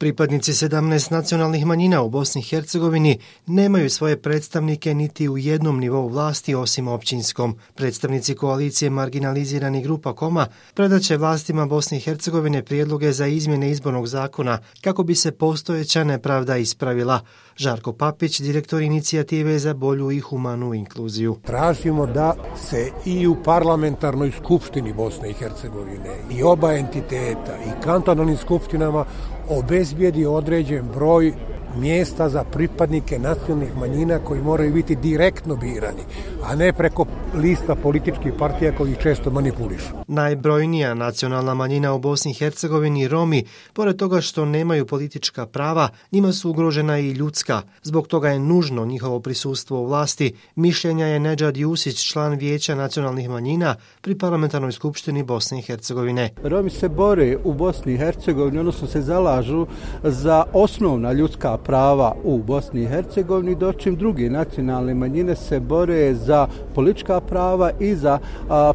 Pripadnici 17 nacionalnih manjina u Bosni i Hercegovini nemaju svoje predstavnike niti u jednom nivou vlasti osim općinskom. Predstavnici koalicije marginaliziranih grupa Koma predaće vlastima Bosne i Hercegovine prijedloge za izmjene izbornog zakona kako bi se postojeća nepravda ispravila. Žarko Papić, direktor inicijative za bolju i humanu inkluziju. Tražimo da se i u parlamentarnoj skupštini Bosne i Hercegovine i oba entiteta i kantonalnim skupštinama obezbijedi određen broj mjesta za pripadnike nacionalnih manjina koji moraju biti direktno birani, a ne preko lista političkih partija koji često manipulišu. Najbrojnija nacionalna manjina u Bosni i Hercegovini, Romi, pored toga što nemaju politička prava, njima su ugrožena i ljudska. Zbog toga je nužno njihovo prisustvo u vlasti, mišljenja je Nedžad Jusić, član Vijeća nacionalnih manjina pri Parlamentarnoj skupštini Bosne i Hercegovine. Romi se bore u Bosni i Hercegovini, odnosno se zalažu za osnovna ljudska prava u Bosni i Hercegovini, dočim druge nacionalne manjine se bore za politička prava i za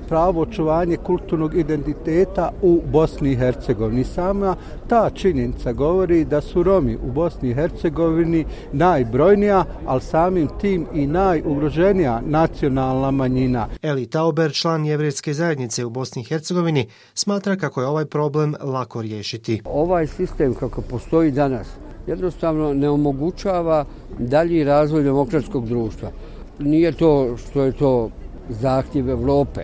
pravo očuvanje kulturnog identiteta u Bosni i Hercegovini. Sama ta činjenica govori da su Romi u Bosni i Hercegovini najbrojnija, ali samim tim i najugroženija nacionalna manjina. Eli Tauber, član jevrejske zajednice u Bosni i Hercegovini, smatra kako je ovaj problem lako riješiti. Ovaj sistem kako postoji danas jednostavno ne omogućava dalji razvoj demokratskog društva. Nije to što je to zahtjev Evrope,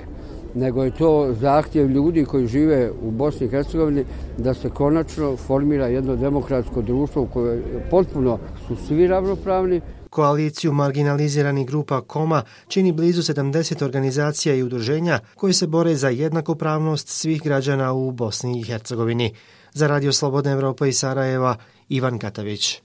nego je to zahtjev ljudi koji žive u Bosni i Hercegovini da se konačno formira jedno demokratsko društvo u kojem potpuno su svi ravnopravni. Koaliciju marginaliziranih grupa Koma čini blizu 70 organizacija i udruženja koji se bore za jednakopravnost svih građana u Bosni i Hercegovini. Za Radio Slobodna Evropa iz Sarajeva, Ivan Katavić.